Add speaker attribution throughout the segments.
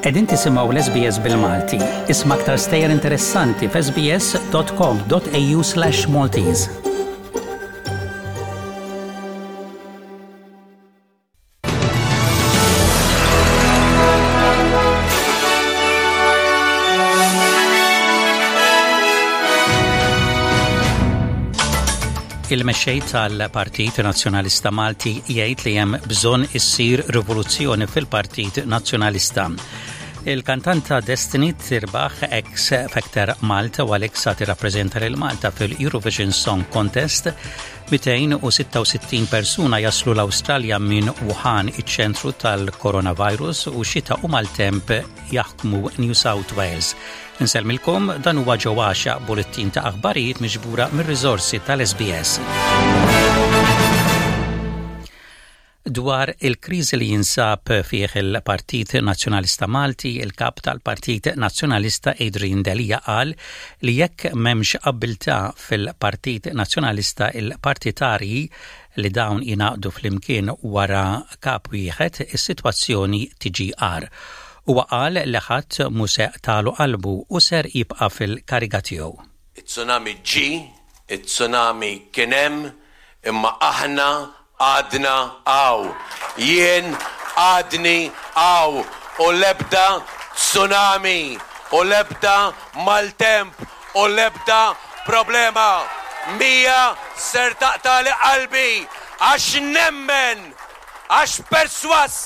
Speaker 1: Qegħdin tisimgħu l-SBS bil-Malti. Isma' aktar stejjer interessanti f'sbs.com.au/Maltese. Il-mexxej tal-Partit Nazzjonalista Malti jgħid li hemm bżonn issir rivoluzzjoni fil-Partit Nazzjonalista. Il-kantanta Destiny tirbaħ X Factor Malta u għalhekk sa tirrappreżenta lil Malta fil-Eurovision Song Contest. 266 persuna jaslu l-Awstralja minn Wuhan, iċ-ċentru tal-coronavirus u xita u maltemp jaħkmu New South Wales. Insellmilkom dan huwa ġo għaxa bulettin ta' aħbarijiet miġbura mir-riżorsi tal-SBS. Dwar il-kriżi li jinsab fih il-Partit Nazzjonalista Malti, il-Kap tal-Partit Nazzjonalista Adrian Delia qal li jekk m'hemmx abbiltà fil-Partit Nazzjonalista il-partitarji li dawn jingħaqdu flimkien wara kap wieħed, is-sitwazzjoni tiġi agħar. Huwa qal li ħadd mhu se qtalu qalbu u ser jibqa' fil-kariga tiegħu.
Speaker 2: It-tsunami ġie, it-tsunami kien hemm, imma aħna għadna hawn. Jien għadni hawn u l-ebda tsunami u l-ebda maltemp u l-ebda problema mhija ser taqtagħli qalbi għax nemmen, għax persważ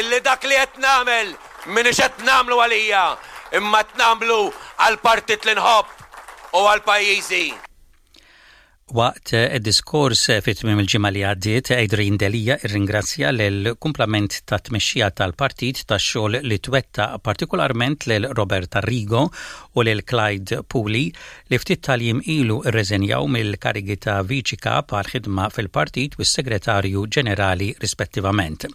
Speaker 2: illi dak li qed nagħmel m'iniex qed nagħmlu għalija imma qed nagħmlu għall-partit li nħobb u għal pajjiżi.
Speaker 1: Waqt diskors fi tmiem il-ġimgħa li għaddiet, Adrian Delia rringrazzja lill-kumplament tat-tmexxija tal-partit tax-xogħol li twettaq, partikolarment lil Robert Arrigo u lil Clyde Puli li ftit tal-jiem ilu rreżenjaw mill-karigi ta' Viċi Kap għall-Ħidma fil-Partit u s-Segretarju Ġenerali rispettivament.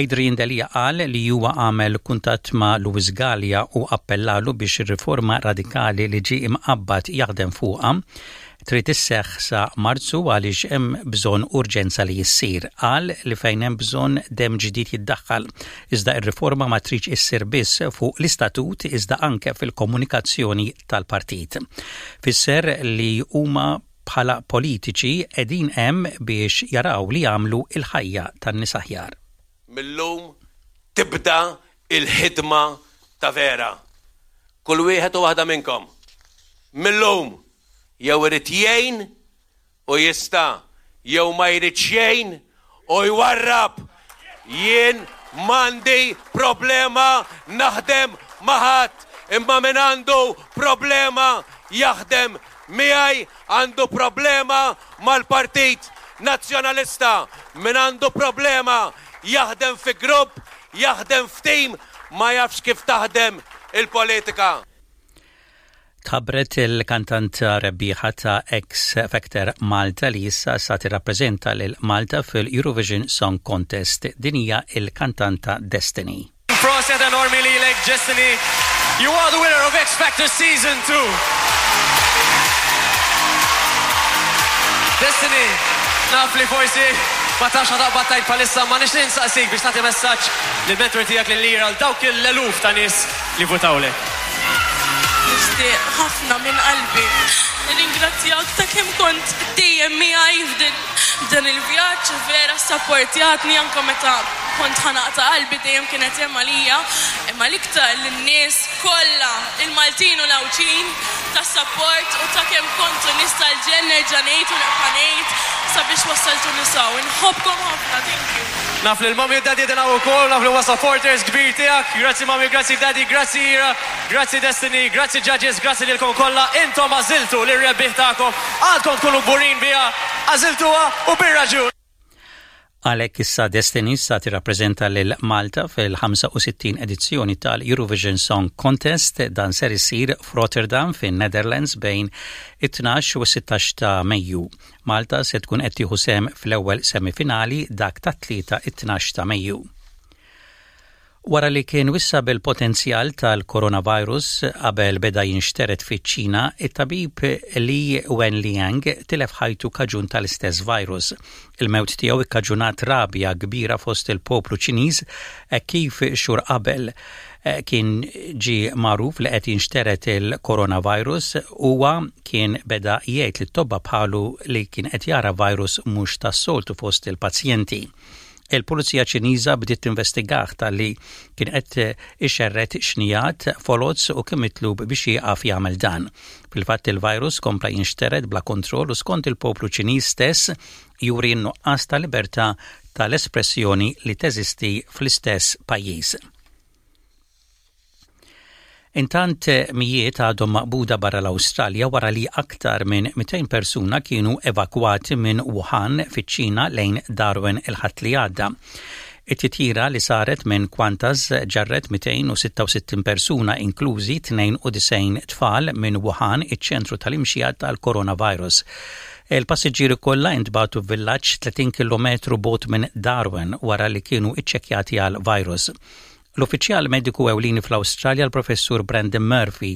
Speaker 1: Adrian Delia qal li huwa għamel kuntatt ma' Louis Galea u appellalu biex ir-riforma radikali li ġie imqabbad jaħdem fuqha trid isseħħ sa Marzu għaliex hemm bżonn urġenza li issir. Qal li fejn hemm bżonn demm ġdid jiddaħħal, iżda r-riforma ma tridx issir biss fuq l-istatut iżda anke fil-komunikazzjoni tal-partit. Fisser li huma bħala politiċi qegħdin hemm biex jaraw li jagħmlu l-ħajja tan-nies aħjar.
Speaker 2: Mil-lum tibda l-ħidma ta' vera. Kull wieħed u waħda minnkom, mil-lum, jew irid jgħin u jista' jew ma jridx jgħin u jwarrab. Jien m'għandi problema naħdem ma' ħadd, imma min għandu problema jaħdem miegħi għandu problema mal-Partit Nazzjonalista. Min għandu problema jaħdem fi grupp, jaħdem f'tim, ma jafx kif taħdem il-politika.
Speaker 1: Tħabbret il-kantanta rebbieħa ta' X Factor Malta li issa sa tirrappreżenta lil Malta fil-Eurovision Song Contest. Din hija il-kantanta Destiny.
Speaker 3: Proset enormi lilek Destiny. You are the winner of X Factor Season 2. Destiny, naf li forsi ma tafx ħa taqbad tgħid bħalissa ma nixtieq insaqsik biex tagħti messaġġ lill-mentor tiegħek lil Ira għal dawk l-eluf ta' nies li vvutawlek.
Speaker 4: Nixtieq ħafna minn qalbi nirringrazzjak ta' kemm kont dejjem miegħi f'dan il-vjaġġ, vera ssapportjatni anke meta kont ħa naqta' qalbi dejjem kienet hemm għalija, imma l-iktar lin-nies kollha, il-Maltin u l-Għawdxin tas-sapport u ta' kemm kontu nies tal-ġenn nerġa' ngħid u nibqa' ngħid sabiex wassaltuni s'hawn. Inħobbkom ħafna, thank you.
Speaker 3: Naf li l-mummy u d-daddy qegħdin hawn ukoll, naf li huma supporters kbir tiegħek. Grazzi mummy, grazzi daddy, grazzi Ira, grazzi Destiny, grazzi judges, grazzi lilkom kollha. Intom għażiltu lir-rebbieħ tagħkom, għandkom tkunu kburin biha, għażiltuha u bir-raġun.
Speaker 1: Għalhekk issa Destiny sa tirrappreżenta lil Malta fil-65 edizzjoni tal-Eurovision Song Contest. Dan ser isir f'Rotterdam fin-Netherlands bejn it-12 u s-16 ta' Mejju. Malta se tkun qed tieħu sehem fl-ewwel semifinali dak tat-Tlieta it-12 ta' Mejju. Wara li kien wissa bil-potenzjal tal-coronavirus qabel beda jinxtered fiċ-Ċina, it-tabib Li Wenliang tilef ħajtu kaġun tal-istess virus. Il-mewt tiegħu ikkaġunat rabja kbira fost il-poplu Ċiniż hekk kif xhur qabel kien ġie magħruf li qed jinxtered il-coronavirus, huwa kien beda jgħid lit-tobba bħalu li kien qed jara virus mhux tas-soltu fost il-pazjenti. Il-Pulizija Ċiniża bdiet tinvestigah talli kien qed ixerred xnigħat foloz u kien mitlub biex jieqaf jagħmel dan. Fil-fatt il-virus kompla jinxtered bla kontroll u skont il-poplu Ċiniż stess juri n-nuqqas ta' libertà tal-espressjoni li teżisti fl-istess pajjiż. Intant mijiet għadhom maqbuda barra l-Awstralja wara li aktar minn 200 persuna kienu evakwati minn Wuhan fiċ-Ċina lejn Darwin il-Ħadd li għadda. It-titjira li saret minn Qantas ġarret 266 persuna inklużi 92 tfal minn Wuhan, iċ-ċentru tal-imxija tal-coronavirus. Il-passiġġieri kollha intbagħtu f'villaġġ 30 kilometru bogħod minn Darwin wara li kienu iċċekkjati għall-virus. L-uffiċjal mediku ewlieni fl-Awstralja l-Professur Brendan Murphy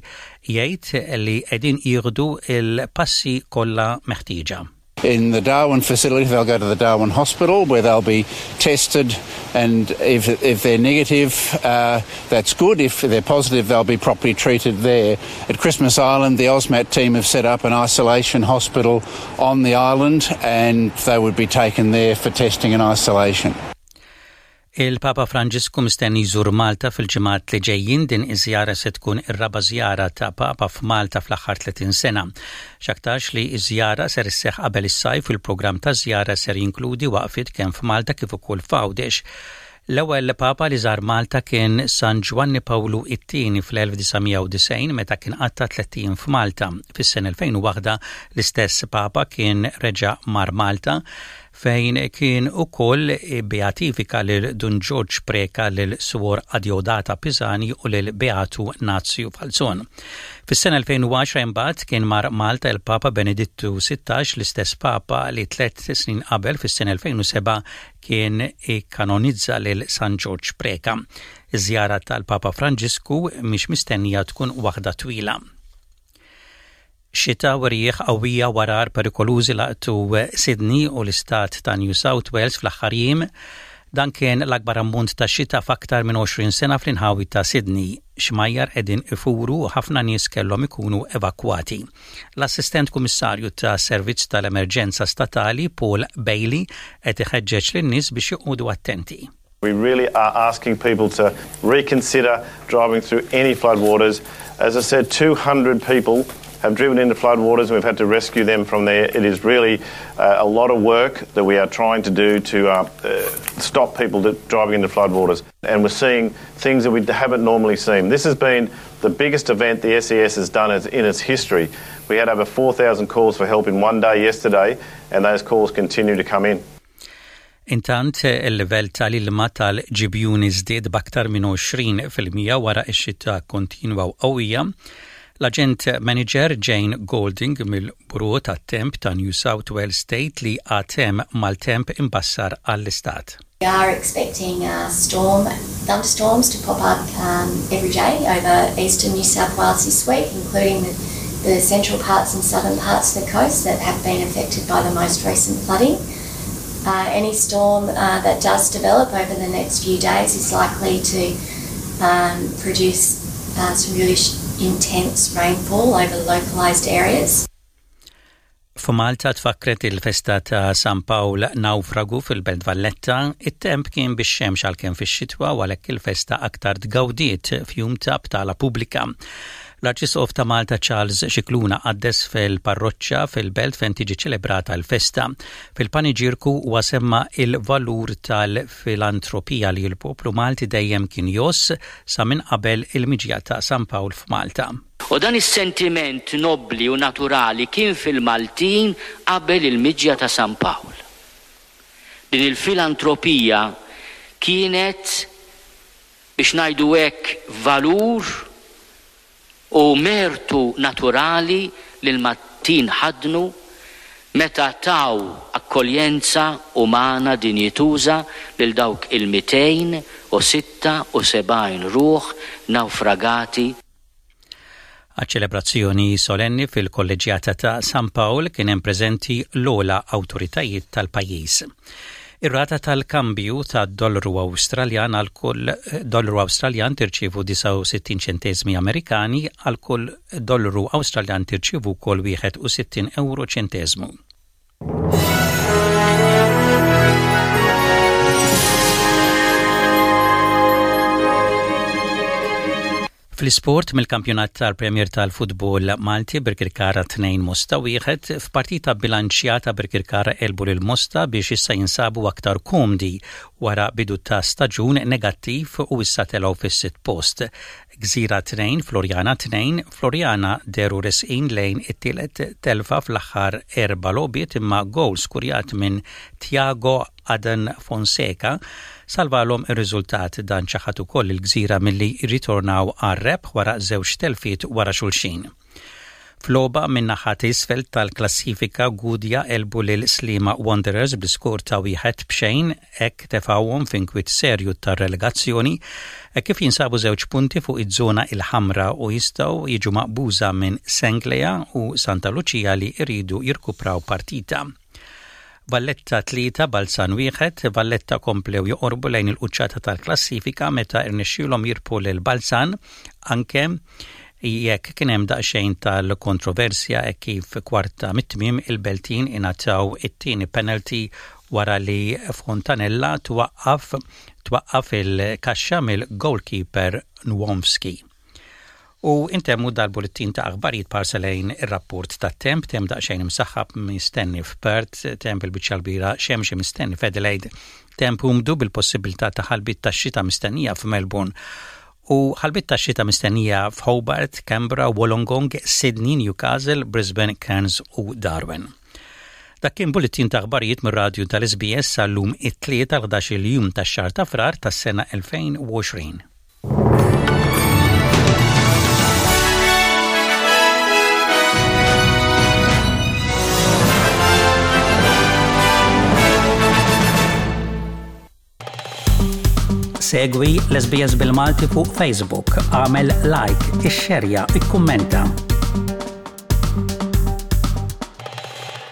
Speaker 1: jgħid li qegħdin jieħdu l-passi kollha meħtieġa.
Speaker 5: In the Darwin facility, they'll go to the Darwin Hospital where they'll be tested and if, if they're negative, uh, that's good. If they're positive, they'll be properly treated there. At Christmas Island, the AUSMAT team have set up an isolation hospital on the island and they would be taken there for testing and isolation.
Speaker 1: Il-Papa Franġisku mistenni jżur Malta fil-ġimgħat li ġejjin. Din iż-żjara se tkun ir-raba' żjara ta' Papa f'Malta fl-aħħar 30 sena. X'aktarx li ż-żjara ser isseħħ qabel is-sajf u l-programm taż-żjara ser jinkludi waqfiet kemm f'Malta kif ukoll f'Għawdex. L-ewwel Papa li żar Malta kien San Ġwanni Pawlu it-Tieni fl-1990 meta kien qatta' tlett ijiem f'Malta. Fis-sena 2001 l-istess Papa kien reġa' mar Malta fejn kien ukoll beatifika lil Dun Ġorġ Preca, lil Suor Adeodata Pisani u lil Beatu Nazju Falzon. Fis-sena 2010 imbagħad kien mar Malta il-Papa Benedittu 16, l-istess Papa li tlett snin qabel fis-sena 2007 kien ikkanonizza lil San Ġorġ Preca. Iż-żjara tal-Papa Franġisku mhix mistennija tkun waħda twila. Xita u rjieħ qawwija u għarar perikolużi laqtu Sydney u l-istat ta' New South Wales fl-aħħar jiem. Dan kien l-akbar ammont ta' xita f'aktar minn 20 sena fl-inħawi ta' Sydney. Xmajjar qegħdin ifuru u ħafna nies kellhom ikunu evakwati. L-Assistent Kummissarju ta' Servizz tal-Emerġenza Statali Paul Bailey qed iħeġġeġ lin-nies biex joqogħdu attenti.
Speaker 6: We really are asking people to reconsider driving through any floodwaters. As I said, 200 people have driven into floodwaters and we've had to rescue them from there. It is really uh, a lot of work that we are trying to do to uh, uh, stop people to, driving into floodwaters. And we're seeing things that we haven't normally seen. This has been the biggest event the SES has done in its history. We had over 4,000 calls for help in one day yesterday, and those calls continue to come in.
Speaker 1: Intant, il-livell tal-ilma tal-ġibjuni żdied b'aktar minn 20% wara x-xita kontinwa u qawwija. L-aġent manager Jane Golding mill-Bureau tat-Temp ta' New South Wales tgħid li għad hemm maltemp imbassar għall-istat.
Speaker 7: We are expecting uh, storm, thunderstorms to pop up um, every day over eastern New South Wales this week, including the, the central parts and southern parts of the coast that have been affected by the most recent flooding. Uh, any storm uh, that does develop over the next few days is likely to um, produce uh, some really intense rainfall over localised areas.
Speaker 1: F'Malta tfakkret il-festa ta' San Pawl Nawfragu fil-Belt Valletta, it-temp kien bix-xemx għalkemm fix-xitwa u għalhekk il-festa aktar tgawdiet f'jum ta' btala pubblika. L-Arċisqof ta' Malta Charles Scicluna qaddes fil-parroċċa fil-Belt fejn tiġi ċelebrata l-festa. Fil-paniġierku huwa semma il-valur tal-filantropija li l-poplu Malti dejjem kien jgħożż sa minn qabel il-miġja ta' San Pawl f'Malta.
Speaker 8: U dan is-sentiment nobbli u naturali kien fil-Maltin qabel il-miġja ta' San Pawl. Din il-filantropija kienet, biex ngħidu hekk, valur u mertu naturali li l-Maltin ħaddnu. Meta taw akkoljenza umana dinjituża lil dawk il-276 ruħ nawfragati.
Speaker 1: Għaċ-ċelebrazzjoni solenni fil-Kolleġġjata ta' San Pawl kien hemm preżenti l-ogħla awtoritajiet tal-pajjiż. Ir-rata tal-kambju tad-dollaru Awstraljan għal kull dollaru Awstraljan tirċievu 69 ċenteżmi Amerikani, għal kull dollaru Awstraljan tirċievu wkoll 61 ewro ċenteżmu. Fl-isport mill-kampjonat tal-Premier tal-Futbol Malti Birkirkara 2 Mosta wieħed f'partita bilanċjata Birkirkara għelbu lil Mosta biex issa jinsabu aktar komdi wara bidu ta' staġun negattiv u issa telgħu fis-sitt post. Gżira 2, Floriana 2, Floriana dehru resqin lejn it-tielet telfa fl-aħħar erba' logħbiet imma gowl skurjat minn Tiago Adan Fonseca salvalhom ir-riżultat. Dan ċaħad ukoll lill-Gżira milli jirritornaw għar-rebħ wara żewġ telfiet wara xulxin. F'logħba min-naħa t'isfel tal-klassifika Gudja għelbu lil Sliema Wanderers bl-iskor ta' wieħed b'xejn hekk tefgħuhom f'inkwiet serju tar-relegazzjoni hekk kif jinsabu żewġ punti fuq iż-żona il-ħamra u jistgħu jiġu maqbuża minn Senglea u Santa Lucia li jridu jirkupraw partita. Valletta 3, Balzan 1, Valletta komplew joqorbu lejn il-quċċata tal-klassifika meta rnexxielhom jirbħu lil Balzan anke jekk kien hemm daqsxejn tal-kontroversja hekk kif kwarta mit-tmiem il-Beltin ingħataw it-tieni penalty wara li Fontanella twaqqaf twaqqaf il-kaxxa mill-goalkeeper Nwomski. U intemmu dal-bullettin ta' aħbarijiet b'ħarsa lejn ir-rapport tat-temp, temp daqsxejn imsaħħab mistenni f'Perth, temp il-biċċa l-kbira xemxi mistenni f'Adelaide, temp umdu bil-possibilità ta' ħalbiet tax-xita mistennija f'Melbourne u ħalbiet tax-xita mistennija f'Hobart, Canberra, Wollongong, Sydney, Newcastle, Brisbane, Cairns u Darwin. Dak kien bullettin ta' aħbarijiet mir-radju tal-SBS għal-lum it-Tlieta l-11-il jum tax-xahar ta' Frar tas-sena 2020. Segwi l-SBS bil-Malti fuq Facebook, għamel like, ixxerja, ikkummenta.